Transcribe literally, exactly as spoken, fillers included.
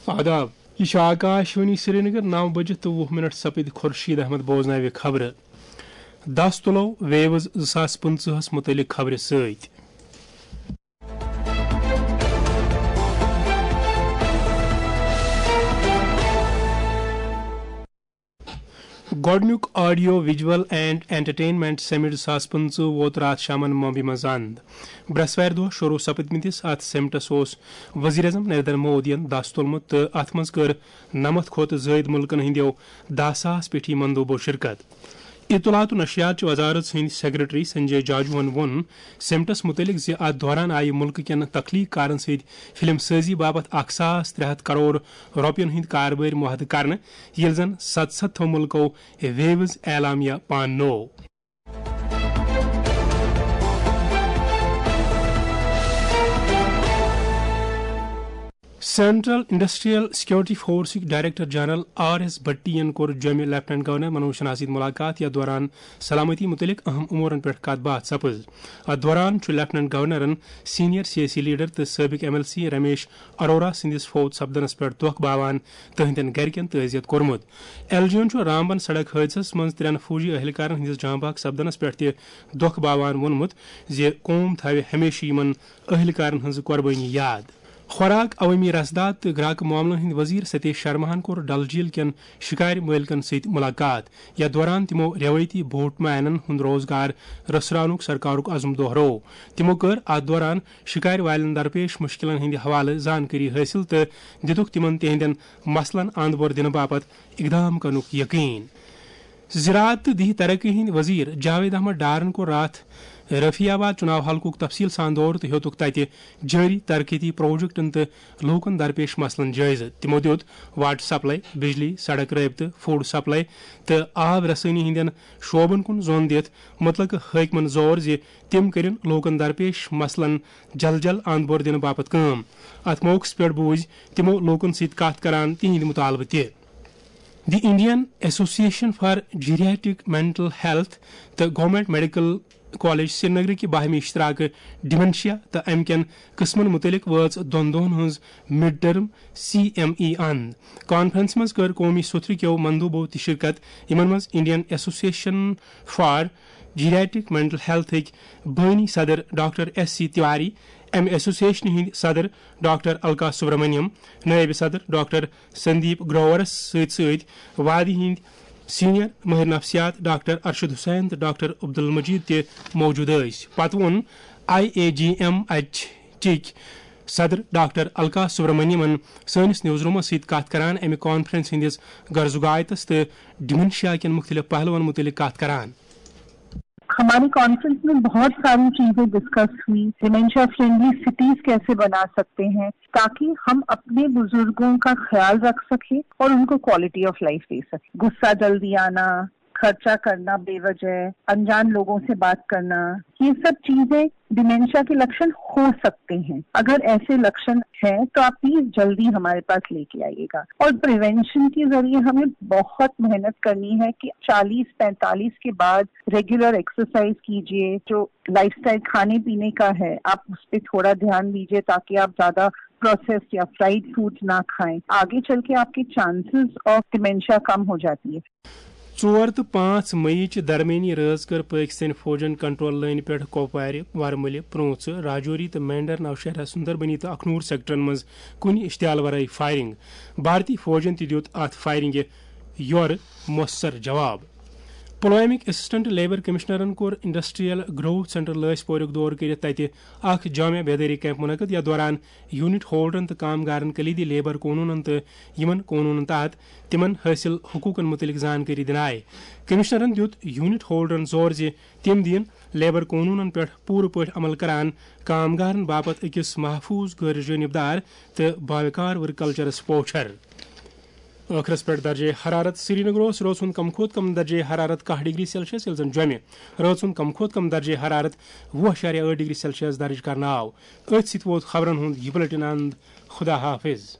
آداب، یہِ چھِ آکاش وانی سرینگر، نو بجہِ تہٕ وُہ منٹ سپٕدۍ خورشید احمد بوزناوِ خبرٕ۔ دس تُلو ویوز زٕ ساس پٕنٛژٕہس مُتعلق خبرِ سۭتۍ۔ گۄڈٕنیُک آڈیو ویجول اینڈ انٹرٹینمنٹ سمٹ زٕ ساس پٕنٛژٕہ ووت راتھ شامن ممبئی منٛز اند۔ برٛٮ۪سوارِ دۄہ شروع سپدمٕتِس اتھ سمٹس اوس وزیر اعظم نریندر مودیَن دس تُلمُت تہٕ اتھ منٛز کٔر نَمَتھ کھۄتہٕ زٲیِد مُلکن ہٕنٛدیو دَہ ساس پیٹھی مندوبو شرکت۔ اطلاعات و نشریات چہِ وزارت سٕنٛدۍ سیکرٹری سنجے جاجوہن ووٚن سمٹس مُتعلق زِ اتھ دوران آیہِ مُلکہٕ کٮ۪ن تخلیق کارن سۭتۍ فلم سٲزی باپتھ اکھ ساس ترٛےٚ ہتھ کرور رۄپین ہٕنٛدۍ کاربٲرۍ معاہدٕ کرنہٕ، ییٚلہِ زن ستستھو مُلکو ویوز اعلامیہ پاننوو۔ سینٹرل انڈسٹریل سیکورٹی فورسٕکۍ director general R S Bhatti ین کوٚر جوٚمہِ لیفٹیننٹ گورنر منوج سنہاہَس سۭتۍ ملاقات، یتھ دوران سلامتی متعلق اہم امورن پٮ۪ٹھ کتھ باتھ سپٕز۔ اتھ دوران چھُ لیفٹیننٹ گورنرن سینئر سیاسی لیڈر تہٕ سٲبق M L C Ramesh Arora سٕنٛدِس فوت سپدنس پٮ۪ٹھ دۄکھ باوان تہنٛدٮ۪ن گرِکٮ۪ن تعزیت کوٚرمُت۔ ایل جی یَن چھُ رامبن سڑک حٲدثس منٛز ترٛٮ۪ن فوجی اہلکارن ہٕنٛدِس جاں بحق سپدنس پٮ۪ٹھ تہِ دۄکھ باوان ووٚنمُت زِ قوم تھاوِ ہمیشہٕ یِمن اہلکارن ہٕنٛز قربٲنی یاد۔ خوراک، عوٲمی رسداد تہٕ گراکہٕ معاملن ہٕنٛدۍ وزیر ستیش شرماہن کوٚر ڈل جھیل کٮ۪ن شکارِ مٲلکن سۭتۍ ملاقات، یتھ دوران تِمو روایتی بوٹ مینن ہُنٛد روزگار رژھراونُک سرکارُک عزم دوہروو۔ تِمو کٔر اتھ دوران شکارِ والٮ۪ن درپیش مشکلن ہٕنٛدِ حوالہٕ زانکٲری حٲصِل تہٕ دِتُکھ تِمن تِہنٛدٮ۪ن مسلن اند بور دِنہٕ باپتھ اقدام کرنُک یقین۔ زراعت تہٕ دیہی ترقی ہٕنٛدۍ وزیر جاوید احمد ڈارن کوٚر راتھ رفیع آباد چناو حلقُک تفصیل سان دورٕ تہٕ ہیوٚتُکھ تتہِ جٲری ترقیتی پروجیکٹن تہٕ لوٗکن درپیش مسلن جٲیزٕ۔ تِمو دِیُت واٹر سپلائی، بجلی، سڑک رٲبطہٕ، فوڈ سپلائی تہٕ آب رسٲنی ہٕنٛدٮ۪ن شعبن کُن زون دِتھ متعلقہٕ حٲکمن زور زِ تِم کٔرِن لوٗکن درپیش مسلن جل جل اند بور دِنہٕ باپتھ کٲم۔ اتھ موقعس پٮ۪ٹھ بوٗزۍ تِمو لوٗکن سۭتۍ کتھ کران تِہنٛدۍ مطالبہٕ تہِ۔ The Indian association for geriatric mental health تہٕ گورنمنٹ میڈیکل کالج سرینگرٕکہِ باہمی اشتراکہٕ ڈیمنشیا تہٕ امہِ کٮ۪ن قٕسمن مُتعلق وٲژ دۄن دۄہن ہٕنٛز mid term C M E اند۔ کانفرنسہِ منٛز کٔر قومی سوٚتھرٕ کیو مندوبو تہِ شرکت، یِمن منٛز Indian association for geriatric mental ہیلتھٕکۍ بٲنی صدر ڈاکٹر ایس سی تیواری، امہِ ایسوسیشنہِ ہٕنٛدۍ صدر ڈاکٹر الکا سبرمنیم، نٲیِب صدر ڈاکٹر سندیپ گروورس سۭتۍ سۭتۍ وادی ہٕنٛدۍ سینئر مٲہِر نفسیات ڈاکٹر ارشد حسین تہٕ ڈاکٹر عبدالمجید تہِ موجود ٲسۍ۔ پتہٕ ووٚن I A G M H ٹٕکۍ صدر ڈاکٹر الکا سبرمنیمن سٲنِس نیوز رومس سۭتۍ کتھ کران امہِ کانفرنس ہٕنٛدِس غرض و غایتس تہٕ ڈیمنشیا کٮ۪ن مُختٔلِف پہلوَن مُتعلق کتھ کران۔ ہماری کانفرنس میں بہت ساری چیزیں ڈسکس ہوئی، ڈیمنشیا فرینڈلی سٹیز کیسے بنا سکتے ہیں تاکہ ہم اپنے بزرگوں کا خیال رکھ سکیں اور ان کو کوالٹی آف لائف دے سکیں۔ غصہ جلدی آنا، خرچہ کرنا بے وجہ، انجان لوگوں سے بات کرنا، یہ سب چیزیں ڈیمنشیا کے لکشن ہو سکتے ہیں۔ اگر ایسے لکشن ہیں تو آپ پلیز جلدی ہمارے پاس لے کے آئیے گا۔ اور پریونشن کے ذریعے ہمیں بہت محنت کرنی ہے کہ چالیس پینتالیس کے بعد ریگولر ایکسرسائز کیجیے، جو لائف اسٹائل کھانے پینے کا ہے آپ اس پہ تھوڑا دھیان دیجیے تاکہ آپ زیادہ پروسیسڈ یا فرائیڈ فوڈ نہ کھائیں۔ آگے چل کے آپ کے چانسز آف ڈیمنشیا کم ہو جاتی ہے۔ ژور تہٕ پانٛژھ مئی چہِ درمیٲنی رٲژ کٔر پٲکِستٲنۍ فوجَن کنٹرول لٲنہِ پٮ۪ٹھ کۄپوارِ، ورمُلہِ، پرٛونٛژھ، راجوری تہٕ مینڈر نوشہرہ، سُندربنی تہٕ اکھنوٗر سیکٹرن منٛز کُنہِ اشتعال ورٲے فائرنگ۔ بھارتی فوجَن تہِ دیُت اتھ فائرنگہِ یورٕ مؤثر جواب۔ پلوامٕکۍ اسسٹنٹ لیبر کمشنرن کوٚر انڈسٹریل گروتھ سینٹر لٲسۍ پوریُک دورٕ کٔرِتھ تتہِ اکھ جامع بیدٲری کیمپ منعقد، یتھ دوران یونٹ ہولڈرن تہٕ کامگارن کلیدی لیبر قونوٗنن تہٕ یِمن قونوٗنن تحت تِمن حٲصِل حقوٗقن مُتعلِق زانکٲری دِنہٕ آیہِ۔ کمشنرن دِیُت یونٹ ہولڈرن زور زِ تِم دِیِن لیبر قونوٗنن پٮ۪ٹھ پوٗرٕ پٲٹھۍ عمل کران کامگارن باپتھ أکِس محفوٗظ، غٲر جٲنِبدار تہٕ باوقار ورک کلچرس پوچھر۔ ٲخرس پٮ۪ٹھ درجے حرارت۔ سرینگر اوس رٲژ ہُنٛد کم کھۄتہٕ کم درجے حرارت کاہ ڈگری سیلسیس، ییٚلہِ زن جوٚمہِ رٲژ ہُنٛد کم کھۄتہٕ کم درجے حرارت وُہ اَشاریہ ٲٹھ ڈگری سیلسیس درج کرنہٕ آو۔ أتھۍ سۭتۍ ووت خبرن ہُنٛد یہِ بلیٹن اند۔ خدا حافظ۔